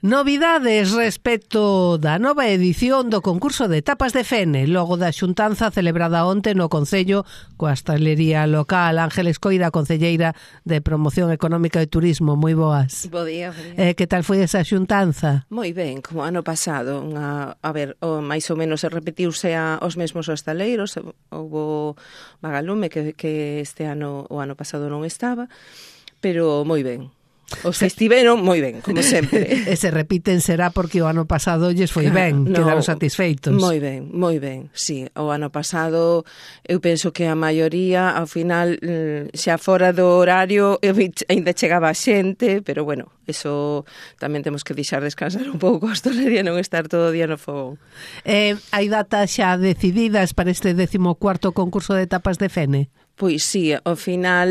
Novidades respecto da nova edición do concurso de tapas de Fene, logo da xuntanza celebrada onte no Concello coa hostalería local. Ángeles Coira, concelleira de Promoción Económica e Turismo, moi boas. Bo día. Que tal foi esa xuntanza? Moi ben, como ano pasado. Mais ou menos se repetiuse aos mesmos hostaleiros. Houbo Magalume que este ano, o ano pasado non estaba, pero moi ben. Os que estiveron moi ben, como sempre. E se repiten será porque o ano pasado lles foi ben, quedaron satisfeitos. Moi ben, sí. O ano pasado eu penso que a maioría, ao final, xa fora do horario, ainda chegaba a xente, pero bueno, eso tamén temos que deixar descansar un pouco a hostalería, non estar todo o día no fogón. Hai datas xa decididas para este 14º concurso de tapas de Fene? Pois sí, ao final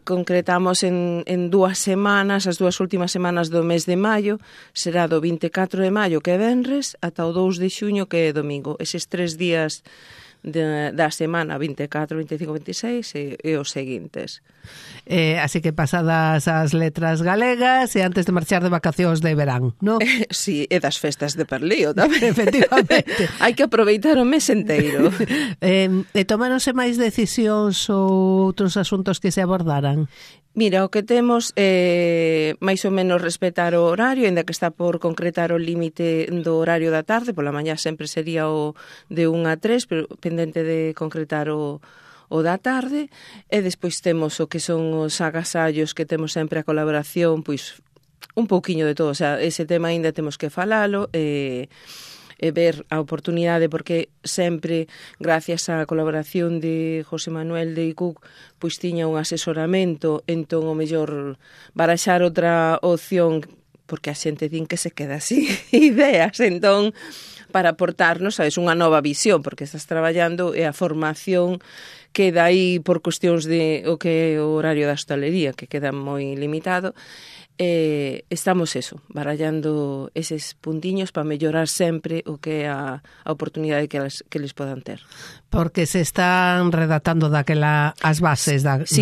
concretamos en 2 semanas, as 2 últimas semanas do mes de maio, será do 24 de maio que é venres ata o 2 de xuño que é domingo. Eses 3 días da semana, 24, 25, 26 e os seguintes. Así que pasadas as letras galegas e antes de marchar de vacacións de verán, non? Sí, e das festas de Perlío tamén. Efectivamente. Hai que aproveitar o mes enteiro. E tomáronse máis decisións ou outros asuntos que se abordaran? Mira, o que temos é máis ou menos respetar o horario, ainda que está por concretar o límite do horario da tarde, pola mañá sempre sería o de 1 a 3, pero pendente de concretar o da tarde, e despois temos o que son os agasallos que temos sempre a colaboración, pois un pouquiño de todo, o sea, ese tema ainda temos que falalo, e ver a oportunidade, porque sempre, gracias á colaboración de José Manuel de ICUC, pois tiña un asesoramento, entón o mellor baraxar outra opción, porque a xente din que se queda así ideas, entón para aportarnos, sabes, unha nova visión, porque estás traballando e a formación queda aí por cuestións de o que é o horario da hostalería, que queda moi limitado. Estamos barallando eses puntiños para mellorar sempre o que é a oportunidade que les podan ter. Porque se están redactando daquela as bases da Sí,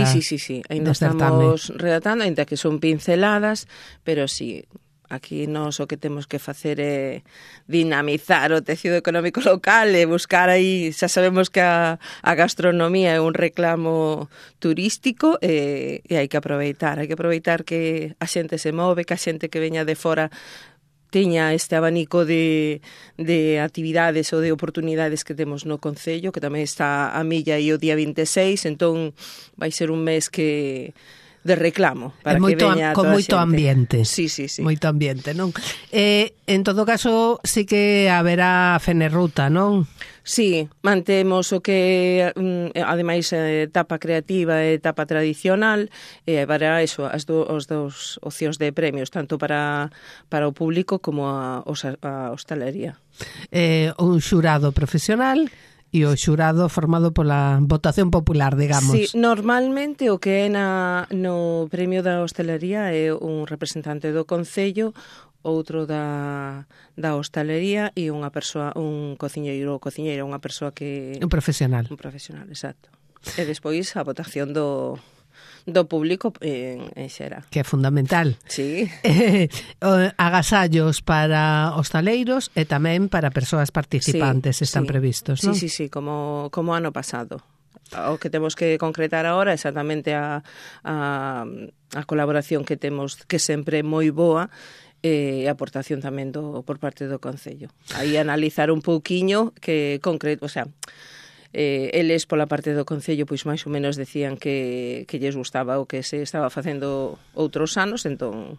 ainda estamos redactando, ainda que son pinceladas, pero sí, aquí nós o que temos que facer é dinamizar o tecido económico local e buscar aí, xa sabemos que a gastronomía é un reclamo turístico e hai que aproveitar que a xente se move, que a xente que veña de fora teña este abanico de actividades ou de oportunidades que temos no Concello, que tamén está a milla e o día 26, entón vai ser un mes de reclamo para que veña con toda moito a xente. Ambiente. Sí. Moito ambiente, non? En todo caso, sí que haberá Fenerruta, non? Sí, mantemos o que, ademais, etapa creativa e etapa tradicional, e haberá as dos opcións de premios, tanto para o público como a hostalería. Un xurado profesional e o xurado formado pola votación popular, digamos. Sí, normalmente o que é no premio da hostalería é un representante do Concello, outro da hostalería e unha persoa, un cociñeiro ou cociñeira, unha persoa que... Un profesional. Un profesional, exacto. E despois a votación do público en xera. Que é fundamental. Sí. Agasallos para hostaleiros e tamén para persoas participantes están previstos, non? Sí, como ano pasado. O que temos que concretar agora é exactamente a colaboración que temos, que sempre é moi boa, e a aportación tamén por parte do Concello. Aí analizar un pouquiño que concreto, o sea, eles pola parte do Concello pois máis ou menos decían que lles gustaba o que se estaba facendo outros anos, entón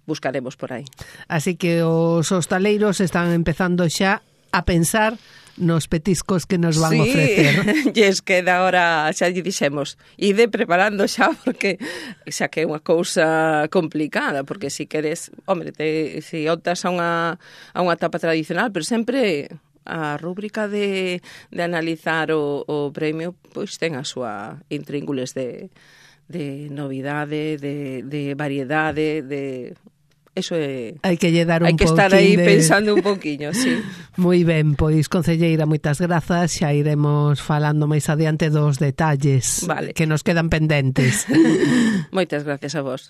buscaremos por aí. Así que os hostaleiros están empezando xa a pensar nos petiscos que nos van ofrecer. Sí, es que da hora xa lle dixemos, ide preparando xa, porque xa que é unha cousa complicada, porque si queres, hombre, si optas a unha etapa tradicional, pero sempre a rúbrica de analizar o premio, pois ten a súa intríngules de novidade, de variedade, de... Eso é... Hai que lle dar un pouquinho. Hai que estar aí pensando un pouquiño, sí. Moi ben, pois, concelleira, moitas grazas. Xa iremos falando máis adiante dos detalles que nos quedan pendentes. Moitas gracias a vos.